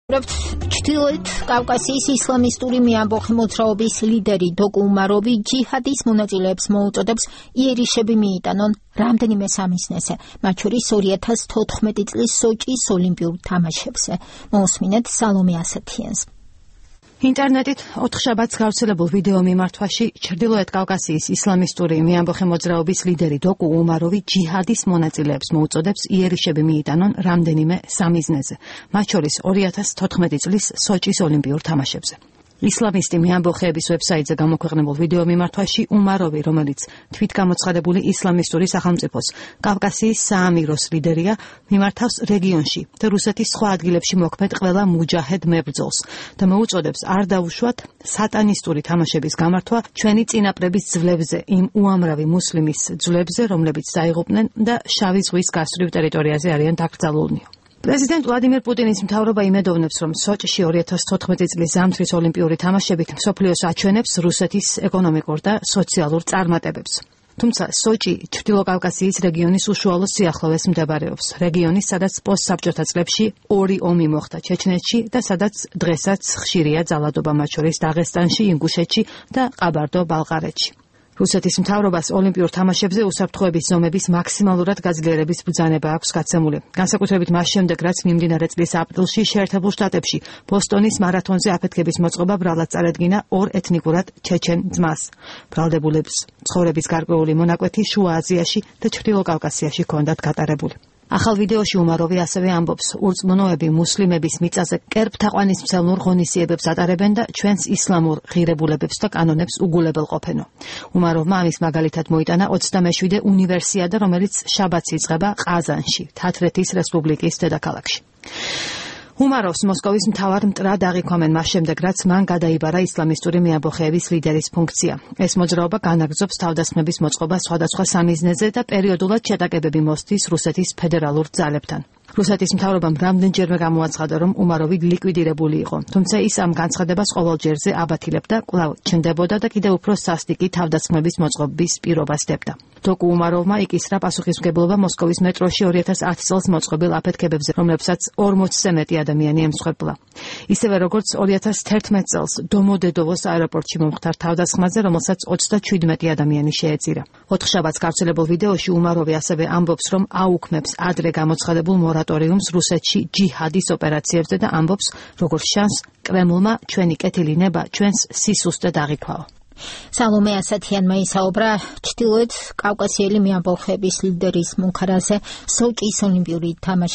ჩრდილოეთ კავკასიის ისლამისტური მეამბოხი მოძრაობის ლიდერი დოკუ უმაროვი ჯიჰადის მონაწილეებს მოუწოდებს იერიშები მიიტანონ რამდენიმე სამიზნეზე, მათ შორის 2014 წლის სოჭის ოლიმპიურ თამაშებზე. მოусმინეთ სალომე ასათიანს. ინტერნეტით 4 შაბათს გავრცელებულ ვიდეო მიმართვაში ჩრდილოეთ კავკასიის ისლამისტური მეამბოხი მოძრაობის ლიდერი დოკუ უმაროვი ჯიჰადის მონაწილეებს მოუწოდებს იერიშები მიიტანონ რამდენიმე სამიზნეზე, მათ შორის 2014 წლის სოჭის ოლიმპიურ თამაშებზე. ისლამისტი მეამბოხეების ვებსაიტზე გამოქვეყნებულ ვიდეო მიმართვაში უმაროვი, რომელიც თვითგამოცხადებული ისლამისტური სახელმწიფოს კავკასიის საამიროს ლიდერია, მიმართავს რეგიონში და რუსეთის სხვა ადგილებში მოქმედ ყველა მუჯაჰედ მებრძოლს და მოუწოდებს არ დაუშვათ სატანისტური თამაშების გამართვა ჩვენი წინაპრების ძვლებზე, იმ უამრავი მუსლიმის ძვლებზე, რომლებიც დაიღუპნენ და შავი ზღვის გასწვრივ ტერიტორიაზე არიან დაკრძალულნი. პრეზიდენტ ვლადიმერ პუტინის მთავრობა იმედოვნებს, რომ სოჭში 2014 წლის ზამთრის ოლიმპიური თამაშებით მსოფლიოს აჩვენებს რუსეთის ეკონომიკურ და სოციალურ წარმატებებს. თუმცა სოჭი ჩრდილოკავკასიის რეგიონის უშუალო სიახლოვეს მდებარეობს. რეგიონის, სადაც პოსტსაბჭოთა წლებში 2 ომი მოხდა ჩეჩნეთში და სადაც დღესაც ხშირია ძალადობა, მათ შორის დაღესტანში, ინგუშეთში და ყაბარდო-ბალყარეთში. რუსეთის მთავრობას ოლიმპიურ თამაშებზე უსაფრთხოების ზომების მაქსიმალურად გაძლიერების ბრძანება აქვს გაცემული. განსაკუთრებით მას შემდეგ, რაც მიმდინარე წლის აპრილში შეერთებულ შტატებში ბოსტონის მარათონზე აფეთქების მოწყობა ბრალად წარედგინა 2 ეთნიკურად ჩეჩენ ძმას. ბრალდებულებს ცხოვრების გარკვეული მონაკვეთი შუა აზიაში და ჩრდილოკავკასიაში ჰქონდათ გატარებული. ახალ ვიდეოში უმაროვი ასევე ამბობს, ურწმუნოები მუსლიმების მიწაზე კერპთაყვანისმცემლურ ღონისძიებებს ატარებენ და ჩვენს ისლამურ ღირებულებებს და კანონებს უგულებელყოფენო. უმაროვმა ამის მაგალითად მოიტანა 27 უნივერსიადა, რომელიც შაბათს იწყება ყაზანში, თათრეთის რესპუბლიკის დედაქალაქში. უმაროვს მოსკოვის მთავარ მტრად აღიქვამენ მას შემდეგ, რაც მან გადაიბარა ისლამისტური მეამბოხეების ლიდერის ფუნქცია. ეს მოძრაობა განაგრძობს თავდასხმების მოწყობას სხვადასხვა სამიზნეზე და პერიოდულად შეტაკებები მოსდის რუსეთის ფედერალურ ძალებთან. რუსეთის მთავრობამ რამდენჯერმე გამოაცხადა, რომ უმაროვი ლიკვიდირებული იყო, თუმცა ის ამ განცხადებას ყოველ ჯერზე აბათილებდა, კვლავ ჩნდებოდა და კიდევ უფრო სასტიკი თავდასხმების მოწყობის პირობას დებდა. დოკუ უმაროვმა იკისრა პასუხისმგებლობა მოსკოვის მეტროში 2010 წელს მოწყობილ აფეთქებებზე, რომლებსაც 40-ზე მეტი ადამიანი ემსხვერპლა. ისევე როგორც 2011 წელს დომოდედოვოს აეროპორტში მომხდარ თავდასხმაზე, რომელსაც 37 ადამიანი შეეწირა. 4 შაბათს გავრცელებულ ვიდეოში უმაროვი ასევე ამბობს, რომ აუქმებს ადრე გამოცხადებულ მორატორიუმს რუსეთში ჯიჰადის ოპერაციებზე და ამბობს, როგორც ჩანს, კრემლმა ჩვენი კეთილი ნება ჩვენს სისუსტედ აღიქვაო. სალომე ასათიანმა ისაუბრა ჩრდილოეთ კავკასიელი მეამბოხეების ლიდერის მუქარაზე სოჭის ოლიმპიური თამაშების